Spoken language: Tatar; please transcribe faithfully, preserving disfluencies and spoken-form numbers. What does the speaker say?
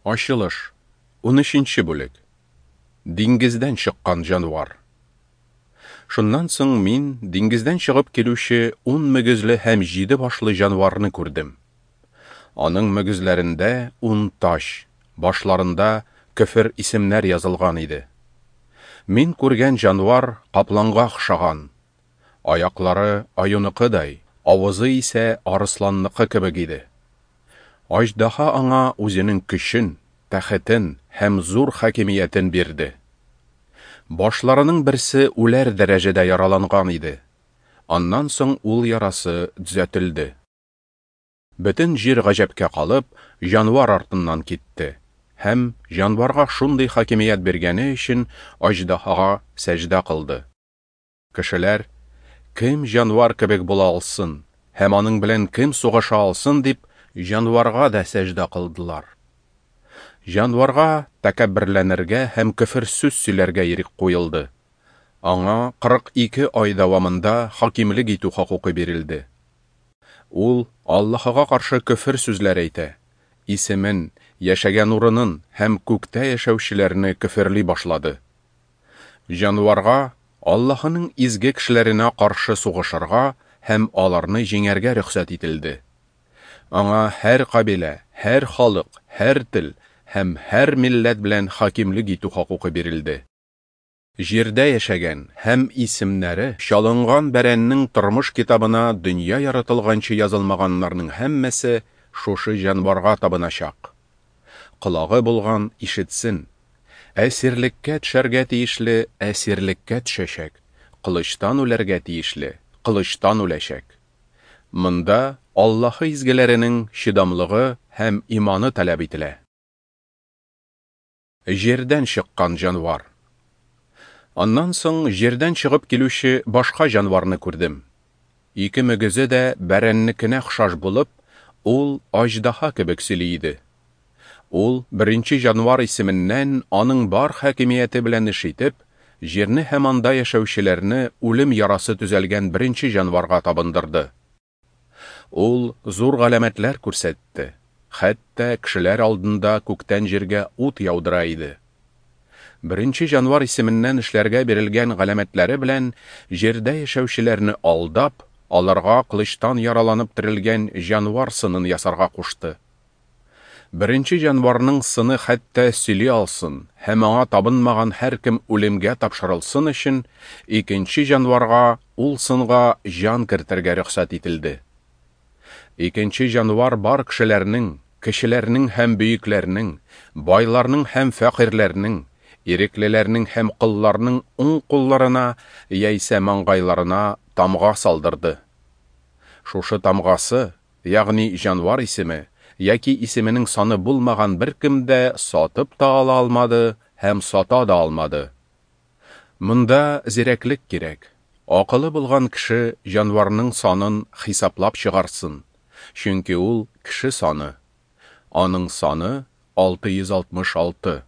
Ачылыш, унөченче бүлек. Диңгездән чыккан җанвар. Шуннан соң мин диңгездән чыгып килүче ун мөгезле һәм җиде башлы җанварны күрдем. Аның мөгезләрендә ун таҗ, башларында көфер исемнәр язылган иде. Мин күргән җанвар капланга охшаган. Аяклары аюныкыдай, авызы исә арысланныкы кебек иде. Аждаһа аңа үзенең көчен, тәхетен һәм зур хакимиятен бирде. Башларының берсе үләр дәрәҗәдә яраланган иде. Аннан соң ул ярасы төзәтелде. Бөтен җир гаҗәпкә калып, җанвар артыннан китте һәм җанварга шундый хакимият биргәне өчен аждаһага сәҗдә кылды. Кешеләр: "Кем җанвар кебек була алсын һәм аның белән кем сугыша алсын?" – дип, җанварга да сәҗдә кылдылар. Җанварга тәкәбберләнергә һәм көфер сүз сөйләргә ирек куелды. Аңа кырык ике ай дәвамында хакимлек итү хокукы бирелде. Ул Аллаһыга каршы көфер сүзләр әйтә, исемен, яшәгән урынын һәм күктә яшәүчеләрне көферли башлады. Җанварга Аллаһының изге кешеләренә каршы сугышырга һәм аларны җиңәргә рөхсәт ителде. Аңа һәр кабилә, һәр халык, һәр тел һәм һәр милләт белән хакимлек итү хокукы бирелде. Җирдә яшәгән һәм исемнәре чалынган бәрәннең тормыш китабына дөнья яратылганчы язылмаганнарның һәммәсе шушы җанварга табыначак. Колагы булган ишетсен. Әсирлеккә төшәргә тиешле әсирлеккә төшәчәк, кылычтан үләргә тиешле кылычтан үләчәк. Монда Аллаһы изгеләренең чыдамлыгы һәм иманы таләп ителә. Җирдән чыккан җанвар. Аннан соң җирдән чыгып килүче башка җанварны күрдем. Ике мөгезе дә бәрәннекенә охшаш булып, ул аждаһа кебек сөйли иде. Ул беренче җанвар исеменнән аның бар хакимияте белән эш итеп, җирне һәм анда яшәүчеләрне үлем ярасы төзәлгән беренче җанварга табындырды. Ул зур галәмәтләр күрсәтте, хәтта кешеләр алдында күктән җиргә ут яудыра иде. Беренче җанвар исеменнән эшләргә бирелгән галәмәтләре белән җирдә яшәүчеләрне алдап, аларга кылычтан яраланып терелгән җанвар сынын ясарга кушты. Беренче җанварның сыны хәтта сөйли алсын һәм аңа табынмаган һәркем үлемгә тапшырылсын өчен, икенче җанварга ул сынга җан кертергә рөхсәт ителде. Икенче җанвар бар кешеләрнең, кешеләрнең һәм бөекләрнең, байларның һәм фәкыйрьләрнең, иреклеләрнең һәм колларның уң кулларына яисә маңгайларына тамга салдырды. Шушы тамгасы, ягъни җанвар исеме яки исеменең саны булмаган беркем дә сатып та ала алмады һәм сата да алмады. Монда зирәклек кирәк. Акылы булган кеше җанварның санын хисаплап чыгарсын, чөнки ул кеше саны. Аның саны алты йөз алтмыш алты.